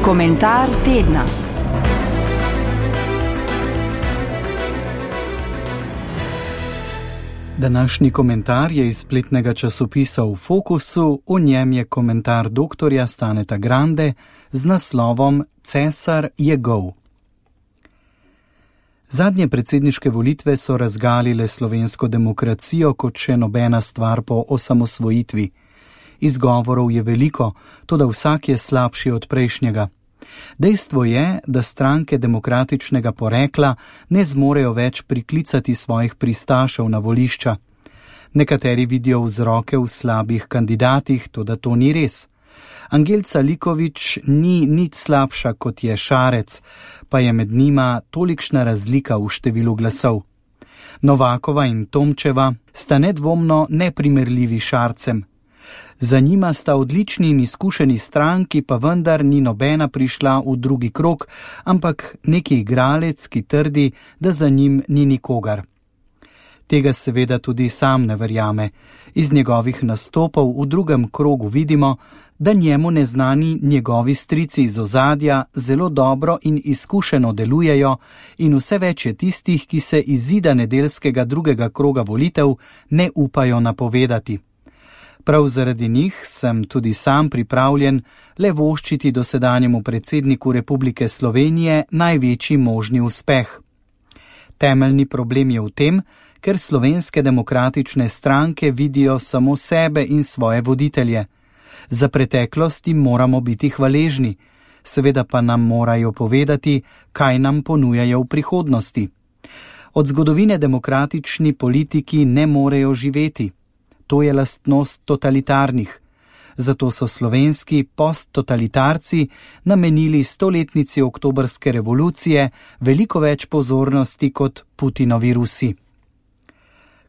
Komentar tedna. Današnji komentar je iz spletnega časopisa V Fokusu, v njem je komentar doktorja Staneta Grande z naslovom Cesar je gol. Zadnje predsedniške volitve so razgalile slovensko demokracijo kot še nobena stvar po osamosvojitvi. Izgovorov je veliko, toda vsak je slabši od prejšnjega. Dejstvo je, da stranke demokratičnega porekla ne zmorejo več priklicati svojih pristašev na volišča. Nekateri vidijo vzroke v slabih kandidatih, toda to ni res. Angelca Likovič ni nič slabša kot je Šarec, pa je med njima tolikšna razlika v številu glasov. Novakova in Tomčeva sta nedvomno neprimerljivi Šarcem. Za njima sta odlični in izkušeni stranki, pa vendar ni nobena prišla v drugi krog, ampak neki igralec, ki trdi, da za njim ni nikogar. Tega seveda tudi sam ne verjame. Iz njegovih nastopov v drugem krogu vidimo, da njemu neznani njegovi strici iz ozadja zelo dobro in izkušeno delujejo in vse več je tistih, ki se izida nedeljskega drugega kroga volitev ne upajo napovedati. Prav zaradi njih sem tudi sam pripravljen le voščiti dosedanjemu predsedniku Republike Slovenije največji možni uspeh. Temeljni problem je v tem, ker slovenske demokratične stranke vidijo samo sebe in svoje voditelje. Za preteklost jim moramo biti hvaležni, seveda pa nam morajo povedati, kaj nam ponujajo v prihodnosti. Od zgodovine demokratični politiki ne morejo živeti. To je lastnost totalitarnih. Zato so slovenski posttotalitarci namenili 100-letnici oktobrske revolucije veliko več pozornosti kot Putinovi Rusi.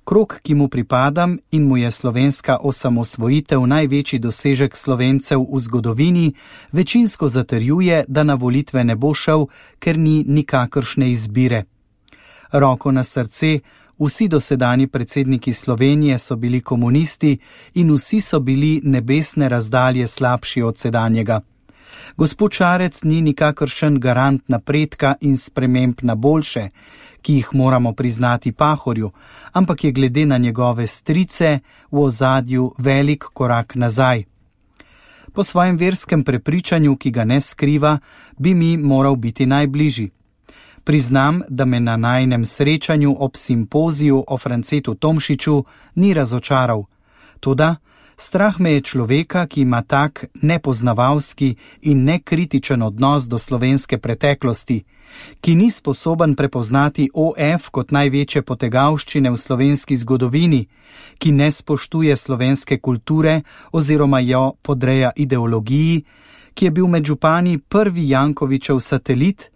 Krog, ki mu pripadam in mu je slovenska osamosvojitev največji dosežek Slovencev v zgodovini, večinsko zatrjuje, da na volitve ne bo šel, ker ni nikakršne izbire. Roko na srce, vsi dosedanji predsedniki Slovenije so bili komunisti in vsi so bili nebesne razdalje slabši od sedanjega. Gospod Šarec ni nikakršen garant napredka in sprememb na boljše, ki jih moramo priznati Pahorju, ampak je glede na njegove strice v ozadju velik korak nazaj. Po svojem verskem prepričanju, ki ga ne skriva, bi mi moral biti najbližji. Priznam, da me na najinem srečanju ob simpoziju o Francetu Tomšiču ni razočaral. Toda strah me je človeka, ki ima tak nepoznavalski in nekritičen odnos do slovenske preteklosti, ki ni sposoben prepoznati OF kot največje potegavščine v slovenski zgodovini, ki ne spoštuje slovenske kulture oziroma jo podreja ideologiji, ki je bil med župani prvi Jankovićev satelit,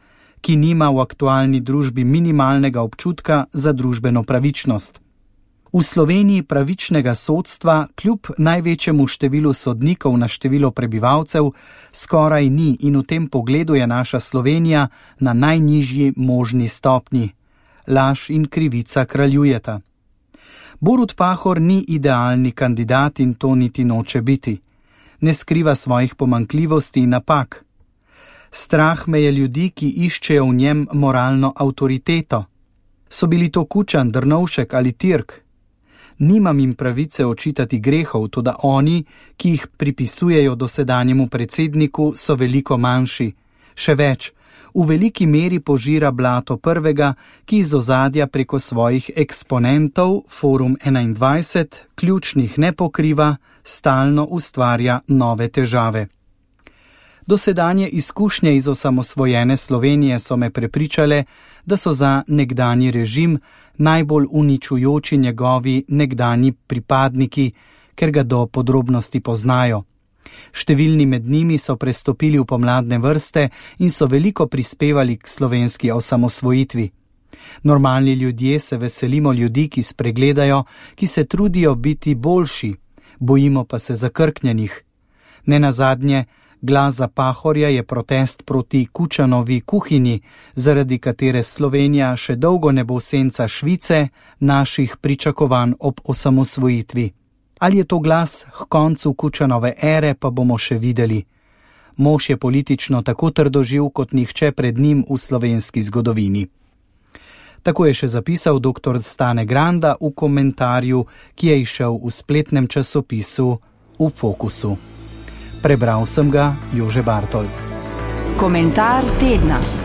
ki nima v aktualni družbi minimalnega občutka za družbeno pravičnost. V Sloveniji pravičnega sodstva kljub največjemu številu sodnikov na število prebivalcev skoraj ni in v tem pogledu je naša Slovenija na najnižji možni stopnji. Laž in krivica kraljujeta. Borut Pahor ni idealni kandidat in to niti noče biti. Ne skriva svojih pomanjkljivosti in napak. Strah me je ljudi, ki iščejo v njem moralno avtoriteto. So bili to Kučan, Drnovšek ali Tirk? Nimam jim pravice očitati grehov, toda oni, ki jih pripisujejo dosedanjemu predsedniku, so veliko manjši. Še več, v veliki meri požira blato prvega, ki iz ozadja preko svojih eksponentov, Forum 21, ključnih ne pokriva, stalno ustvarja nove težave. Dosedanje izkušnje iz osamosvojene Slovenije so me prepričale, da so za nekdanji režim najbolj uničujoči njegovi nekdanji pripadniki, ker ga do podrobnosti poznajo. Številni med njimi so prestopili v pomladne vrste in so veliko prispevali k slovenski osamosvojitvi. Normalni ljudje se veselimo ljudi, ki spregledajo, ki se trudijo biti boljši, bojimo pa se zakrknjenih. Nenazadnje, glas za Pahorja je protest proti Kučanovi kuhinji, zaradi katere Slovenija še dolgo ne bo senca Švice, naših pričakovanj ob osamosvojitvi. Ali je to glas k koncu Kučanove ere, pa bomo še videli. Mož je politično tako trdoživ kot nihče pred njim v slovenski zgodovini. Tako je še zapisal dr. Stane Granda v komentarju, ki je izšel v spletnem časopisu V Fokusu. Prebral sem ga Jože Bartol. Komentar tedna.